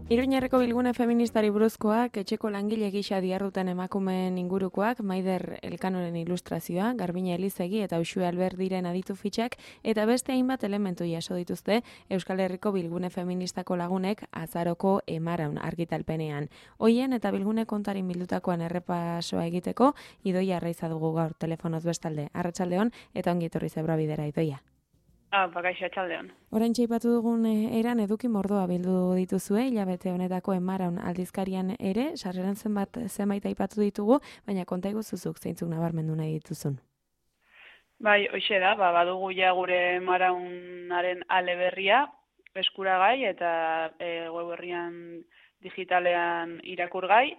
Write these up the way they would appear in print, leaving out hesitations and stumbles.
Iruñerreko bilgune feministari buruzkoak, etxeko langile gisa diharduten emakumeen ingurukoak, Maider Elkanoren ilustrazioa, Garbine Elizegi eta Uxue Alberdiren aditu fitxak, eta beste hainbat elementu jaso dituzte Euskal Herriko bilgune feministako lagunek azaroko emaraun argitalpenean. Hoien eta bilgune kontarin bildutakoan errepasoa egiteko, Idoia Arraiza dugu gaur telefonoz bestalde. Arratsaldeon eta ongi etorri Zebra Bidera, Idoia. Bakaixo atxaldeon. Oraintxe aipatu dugun eran eduki mordoa bildu dituzue, hilabete honetako emaraun aldizkarian ere, sarreran zenbait aipatu ditugu, baina konta iguzuzuk zeintzuk nabarmendu nahi dituzun. Bai, hoxe da, badugu ja gure emaraunaren ale berria, eskuragai eta web herrian digitalean irakurgai,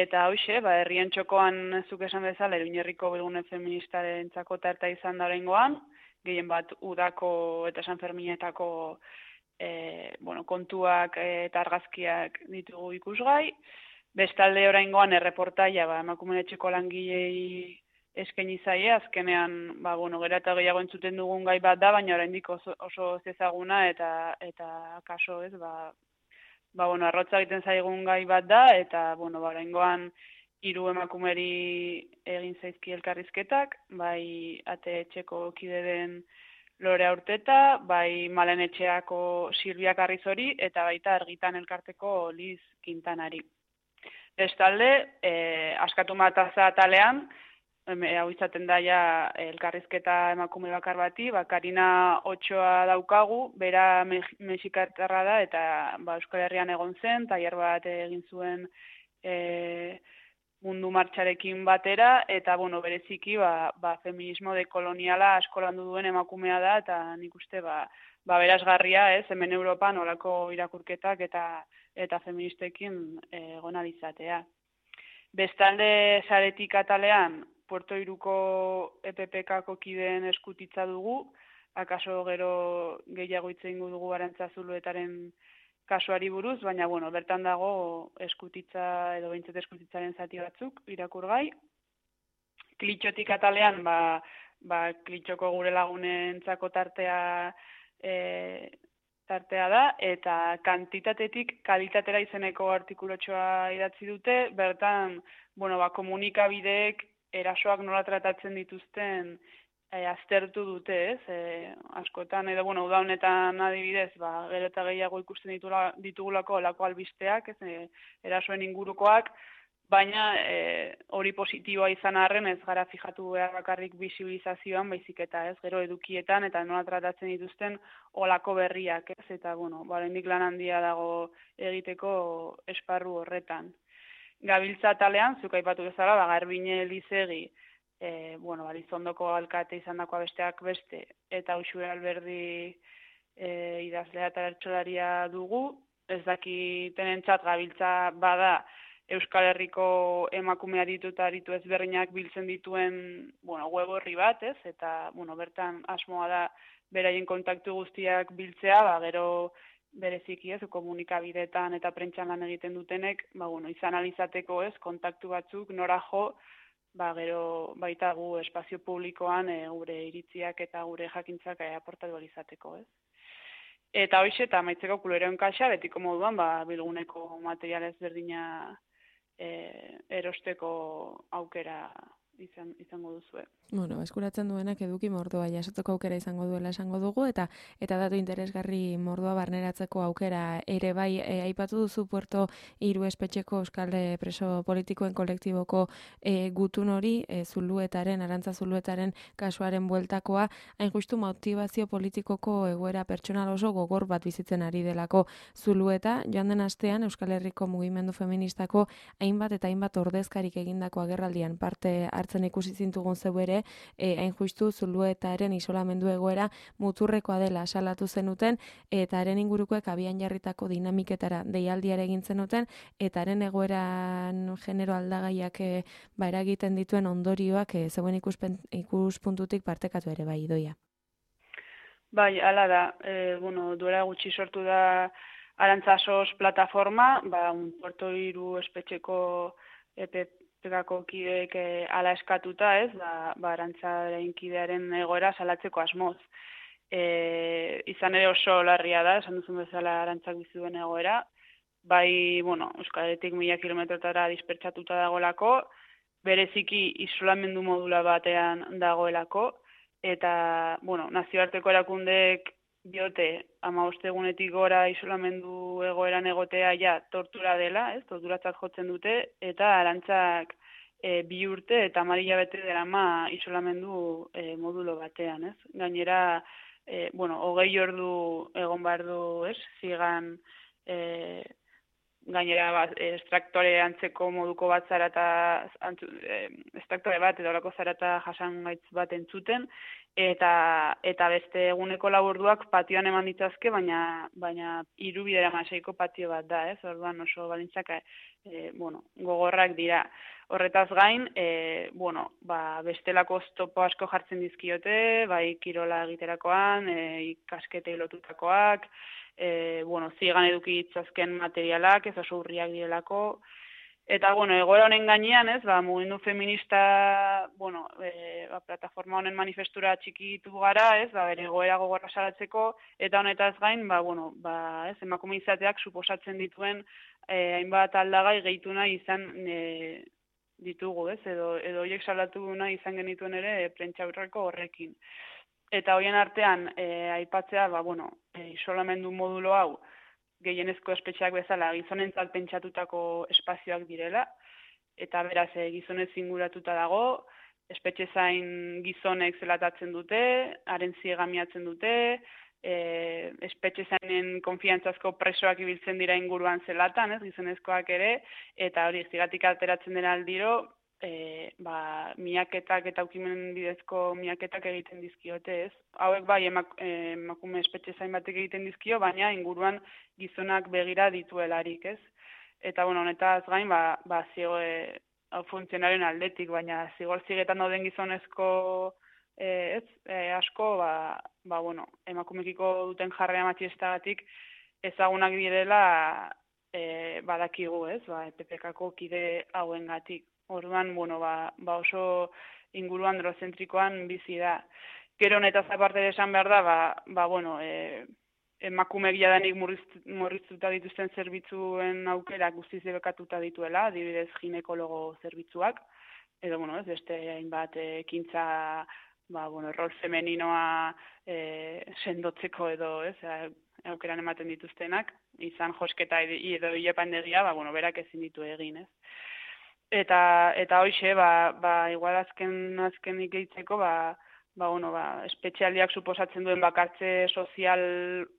eta hoxe, herrien txokoan zuk esan bezala, Iruñerriko bilgune feministarentzako tarta izan da oraingoan, gehien bat udako eta Sanferminetako kontuak eta argazkiak ditugu ikusgai. Bestalde oraingoan erreportaia emakumeen etxeko langilei eskaini zaie, azkenean gero eta gehiago entzuten dugun gai bat da, baina oraindik oso ezaguna eta kaso ez, arrotza egiten zaigun gai bat da, eta oraingoan 3 emakumeri egin zaizki elkarrizketak, bai ate etxeko kide den Lore Aurteta, bai Malen etxeako Silvia Carrizori, eta baita Argitan elkarteko Liz Quintanari. Bestalde, askatu mataza atalean, hau izaten da ja elkarrizketa emakume bakar bati, Karina Otxoa daukagu, bera mexikartarra da, eta Euskal Herrian egon zen, tailer bat egin zuen mundu martxarekin batera, eta bereziki feminismo dekoloniala askolandu duen emakumea da, eta nik uste berazgarria, hemen Europan olako irakurketak eta feministekin egon alizatea. Bestalde saretik atalean, Puerto Iruko EPPKako kideen eskutitza dugu, akaso gero gehiago hitz egingo dugu Arantza Zuluetaren kasuari buruz, baina bertan dago eskutitza edo behintzat eskutitzaren zati batzuk irakurgai. Klitxotik atalean, klitxoko gure lagunentzako tartea da, eta kantitatetik kalitatera izeneko artikulotxoa idatzi dute, bertan, komunikabideek erasoak nola tratatzen dituzten aztertu dute, ez? Askotan, edo, uda honetan adibidez, gero eta gehiago ikusten ditugulako olako albisteak, erasoen ingurukoak, baina hori positiboa izan arren ez gara fijatu behar bakarrik bisibilizazioan, baizik eta ez, gero edukietan eta nola tratatzen dituzten olako berriak, ez? Eta, oraindik lan handia dago egiteko esparru horretan. Gabiltza atalean, zuk aipatu bezala, Garbine Elizegi, Elizondoko alkate izan dakoa besteak beste, eta Uxue Alberdi idazlea eta bertsolaria dugu, ez dakitenentzat gabiltza bada Euskal Herriko emakumea ditu eta aritu ezberdinak biltzen dituen web horri bat, ez? Eta bertan asmoa da beraien kontaktu guztiak biltzea, gero bereziki ez, komunikabideetan eta prentsan lan egiten dutenek, izan alizateko ez, kontaktu batzuk, nora jo, gero baita gu espazio publikoan gure iritziak eta gure jakintzak aportatu alizateko, ez. Eta hoxe, eta maitzeko kuleroen kaxa, betiko moduan, bilguneko material ezberdina erosteko aukera izango duzue. Eskuratzen duenak eduki mordoa jasoteko aukera izango duela esango dugu, eta datu interesgarri mordoa barneratzeko aukera ere bai aipatu duzu Puerto Iru espetxeko Euskal preso politikoen kolektiboko gutun hori, Arantza Zuluetaren kasuaren bueltakoa, hain justu motibazio politikoko egoera pertsonal oso gogor bat bizitzen ari delako Zulueta, joan den astean Euskal Herriko mugimendu feministako hainbat eta hainbat ordezkarik egindako agerraldian parte hartzen ikusi zintugun zeu ere, hain justu Zuluetaren isolamendu egoera muturrekoa dela salatu zenuten, eta haren ingurukoek abian jarritako dinamiketara deialdiare egin zenuten, eta haren egoeran genero aldagaiak eragiten dituen ondorioak zeuen ikuspuntutik partekatu ere bai, Idoia. Bai, hala da. Duela gutxi sortu da Arantza SOS plataforma, Puerto Iru espetxeko EPPKako kideek ala eskatuta, ez, Arantzaren kidearen egoera salatzeko asmoz. Izan ere oso larria da, esan duzun bezala Arantzak bizi duen egoera, bai, bueno, Euskal Herritik 1000 kilometrotara dispertsatuta dagoelako, bereziki isolamendu modula batean dagoelako, eta, bueno, nazioarteko erakundeek diote 15 egunetik gora isolamendu egoeran egotea ja tortura dela, ez? Torturatzat jotzen dute, eta Arantzak 2 urte eta 10 hilabete darama isolamendu modulo batean, ez? Gainera, bueno, 20 ordu egon behar du, ez? Zigan gainera estraktore antzeko moduko bat zara eta estraktore bat edo horako zara eta jasangaitz bat entzuten, eta beste eguneko laburduak patioan eman ditzazke, baina 3 bidera maseiko patio bat da, ez? Orduan oso balintzak bueno, gogorrak dira. Horretaz gain, bueno, bestelako oztopo asko jartzen dizkiote, bai kirola egiterakoan, ikasketei lotutakoak, bueno, zigan eduki ditzazken materialak, ez oso urriak direlako, eta, bueno, egoera honen gainean, ez, mugimendu feminista, bueno, plataforma honen manifestura txikitu gara, ez, bere egoera gogorra salatzeko, eta honetaz gain, bueno, ez, emakume izateak suposatzen dituen hainbat aldagai gehitu nahi izan ditugu, ez, edo horiek salatu nahi izan genituen ere prentsaurreko horrekin. Eta horien artean, aipatzea, bueno, isolamendu modulo hau, gehienezko espetxeak bezala, gizonentzat pentsatutako espazioak direla, eta beraz, gizonez inguratuta dago, espetxe zain gizonek zelatatzen dute, haren ziegamiatzen dute, espetxe zainen konfiantzazko presoak ibiltzen dira inguruan zelatan, ez, gizonezkoak ere, eta hori, zigatik alteratzen dena aldiro, miaketak eta ukimen bidezko miaketak egiten dizkiote, ez? Hauek bai emakume espetxe zain batek egiten dizkio, baina inguruan gizonak begira dituelarik, ez? Eta, bueno, honetaz gain, funtzionaren aldetik, baina zigor zigetan dauden gizonezko asko, bueno, emakumekiko duten jarrera matxistagatik ezagunak direla badakigu, ez? EPPK-ko kide hauengatik. Orduan, bueno, oso inguruan androzentrikoan bizi da. Gero honetaz aparte esan behar da, bueno, emakumeak jadanik murriztuta dituzten zerbitzuen aukera guztiz debekatuta dituela, adibidez ginekologo zerbitzuak, edo, bueno, ez, beste hainbat ekintza, bueno, rol femeninoa sendotzeko edo, ez, aukeran ematen dituztenak, izan josketa edo hilepandegia, bueno, berak ezin ditu egin, ez. Eta hoxe, igual azkenik gehitzeko, bueno, espetxealdiak suposatzen duen bakartze sozial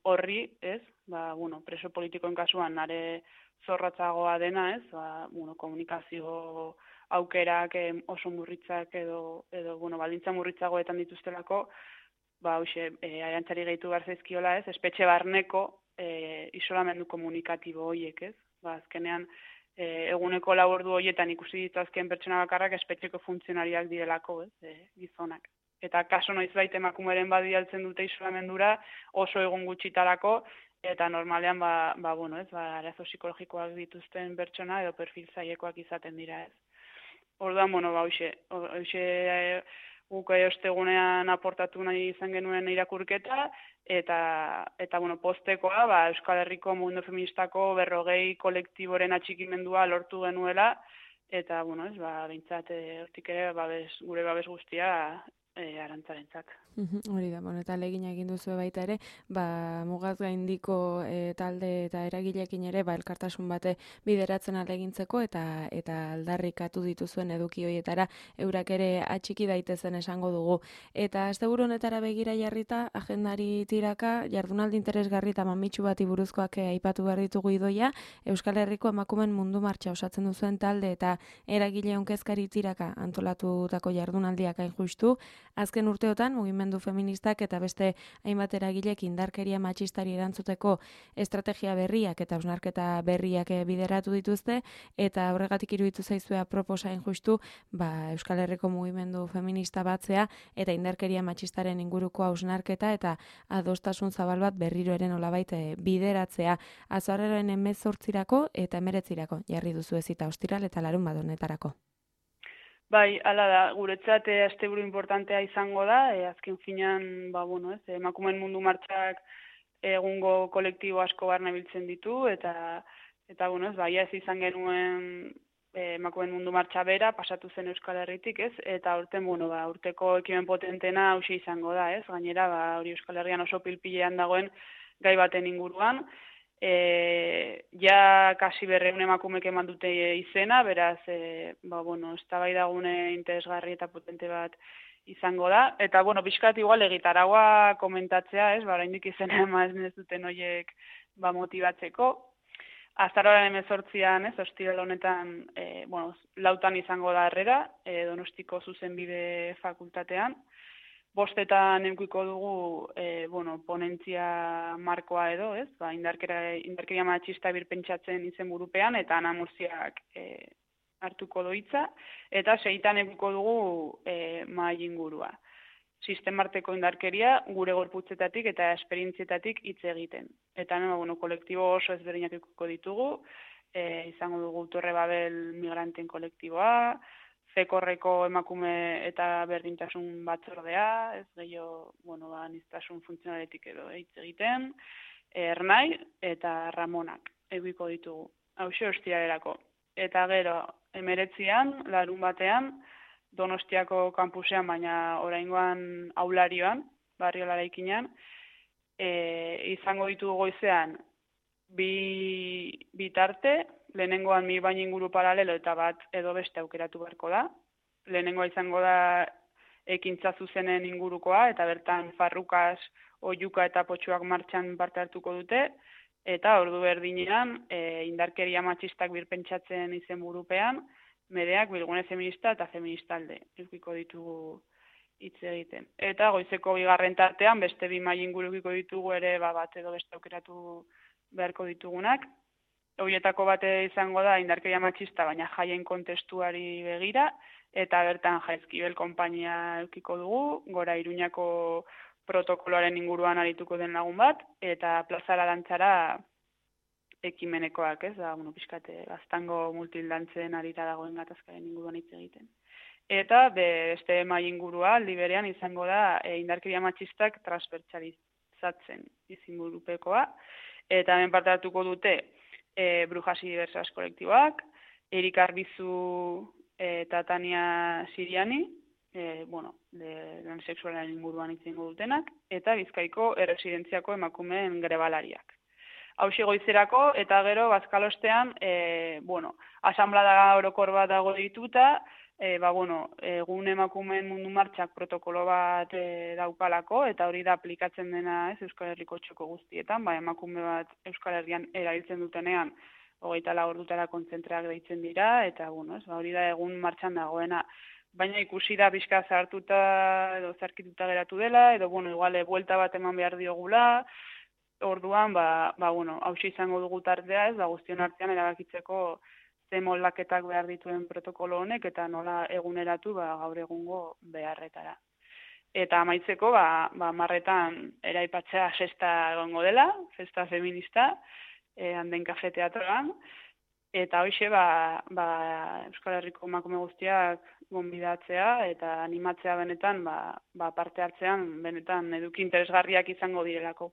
horri, ez? Bueno, preso politikoen kasuan are zorratzagoa dena, ez? Bueno, komunikazio aukerak oso murritzak edo bueno, baldintza murritzagoetan dituztelako, hoxe, Arantzari gehitu behar zaizkiola, ez? Espetxe barneko isolamendu komunikatibo horiek, ez? Azkenean, eguneko labordu horietan ikusi dituzken pertsona bakarrak espetxeko funtzionariak direlako, ez, gizonak. Eta kaso noizbait emakumeren badialtzen dute isolamendura oso egun gutxitarako, eta normalean, bueno, ez, arazo psikologikoak dituzten pertsona edo perfil zailekoak izaten dira, ez. Orduan, bueno, hoxe guk ostegunean aportatu nahi izan genuen irakurketa, eta bueno, postekoa, Euskal Herriko mugimendu feministako 40 kolektiboren atxikimendua lortu genuela, eta, bueno, ez, behintzat, hortik ere, gure babes guztia Arantzarentzat. Hori da, bueno, eta ahalegina egin duzu baita ere, mugaz gaindiko talde eta eragileekin ere, elkartasun bate bideratzen ahalegintzeko eta aldarrikatu dituzuen eduki horietara eurak ere atxiki daitezen esango dugu. Eta asteburu honetara begira jarrita, agendari tiraka, jardunaldi interesgarri eta mamitsu bati buruzkoak aipatu behar ditugu idoia, Euskal Herriko emakumen mundu martxa osatzen duzuen talde eta eragile onkezkari tiraka antolatutako jardunaldiak hain justu, azken urteotan mugimendu feministak eta beste hainbat eragilek indarkeria matxistari erantzuteko estrategia berriak eta hausnarketa berriak bideratu dituzte, eta horregatik iruditu zaizue proposain justu Euskal Herriko mugimendu feminista batzea eta indarkeria matxistaren inguruko hausnarketa eta adostasun zabal bat berriro ere nolabait bideratzea. Azaroaren 18 eta 19 jarri duzu ezita ostiral eta larunbat honetarako. Bai, hala da, guretzat asteburu importantea izango da, azken finean, bueno, ez, emakumeen mundu martxak egungo kolektibo asko barne biltzen ditu, eta Eta, bueno, ez izan genuen emakumeen mundu martxa bera, pasatu zen Euskal Herritik, ez? Eta urten, urteko ekimen potentena hauxe izango da, ez? Gainera, hori Euskal Herrian oso pilpilean dagoen gai baten inguruan. Ja kasi 200 emakumek eman dute izena, beraz, eztabaidagune interesgarri eta potente bat izango da. Eta, pixkat igual egitaragua komentatzea, ez? Oraindik izena eman ez duten horiek motibatzeko. Azaroaren 18an, ez, ostiral honetan, 4 izango da harrera, Donostiko Zuzenbide Fakultatean. 5etan edukiko dugu, ponentzia markoa edo, ez, indarkeria matxista birpentsatzen izenburupean, eta Ana Murziak hartuko du hitza, eta 6etan edukiko dugu mahai ingurua. Sistemarteko indarkeria gure gorputzetatik eta esperientzietatik hitz egiten. Eta hemen, kolektibo oso ezberdinak edukiko ditugu, izango dugu Torre Babel migranten kolektiboa, Fekorreko emakume eta berdintasun batzordea, ez gehiago, aniztasun funtzionaletik edo hitz egiten, Ernai eta Ramonak edukiko ditugu. Hauxe ostialerako. Eta gero, 19an, larun batean, Donostiako kampusean, baina oraingoan aularioan, barrio laraikinean, izango ditugu goizean bi tarte, lehenengoan mi baina inguru paralelo eta bat edo beste aukeratu beharko da. Lehenengoa izango da ekintza zuzenen ingurukoa, eta bertan Farrukas, Oiuka eta Potxuak martxan parte hartuko dute, eta ordu berdinean indarkeria matxistak birpentsatzen izenburupean, Medeak bilgune feminista eta feministalde edukiko ditugu hitz egiten. Eta goizeko 2. tartean beste 2 mahai ingurukiko ditugu ere bat edo beste aukeratu beharko ditugunak. Horietako bate izango da indarkeria matxista, baina jaien kontestuari begira, eta bertan Jaizkibel konpainia edukiko dugu, Gora Iruñako protokoloaren inguruan arituko den lagun bat, eta plazara dantzara ekimenekoak, ez da, pixkate, gaztango multildantzen arira dagoen gatazkaren inguruan hitz egiten. Eta beste mahai ingurua, aldi berean izango da indarkeria matxistak transbertsalizatzen izenburupekoa, eta hemen parte hartuko dute Brujas y Diversas kolektiboak, Erik Arbizu eta Tania Siriani, lan sexualaren inguruan hitz egingo dutenak, eta Bizkaiko erresidentziako emakumeen grebalariak. Hauxe goizerako, eta gero, bazkalostean, asanblada orokor bat dago dituta, egun emakumeen mundu martxak protokolo bat daukalako, eta hori da aplikatzen dena Euskal Herriko txoko guztietan, emakume bat Euskal Herrian erabiltzen dutenean, 24 ordutara kontzentrak deitzen dira, eta hori da egun martxan dagoena. Baina ikusi da pixka zartuta edo zarkituta geratu dela, edo, igual, buelta bat eman behar diogula. Orduan, hauxe izango dugu tartea, guztion artean erabakitzeko ze moldaketak behar dituen protokolo honek, eta nola eguneratu gaur egungo beharretara. Eta amaitzeko, 10etan eraipatzea festa egongo dela, festa feminista, Anden Kafe Teatroan, eta hoxe, Euskal Herriko emakume guztiak gonbidatzea, eta animatzea benetan, parte hartzean, benetan eduki interesgarriak izango direlako.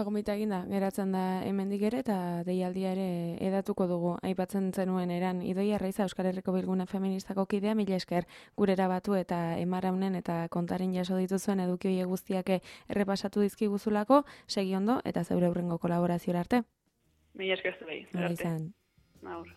Gomita eginda, geratzen da hemendik ere, eta deialdia ere edatuko dugu. Aipatzen zenuen eran, Idoia Arraiza Euskal Herriko Bilgune Feministako kidea, mila esker gurera batu eta emaraunen eta kontaren jaso dituzuen eduki horiek guztiak errepasatu dizkiguzulako, segi ondo eta zeure hurrengo kolaborazioa arte. Mila esker zuei. Izan. Aur.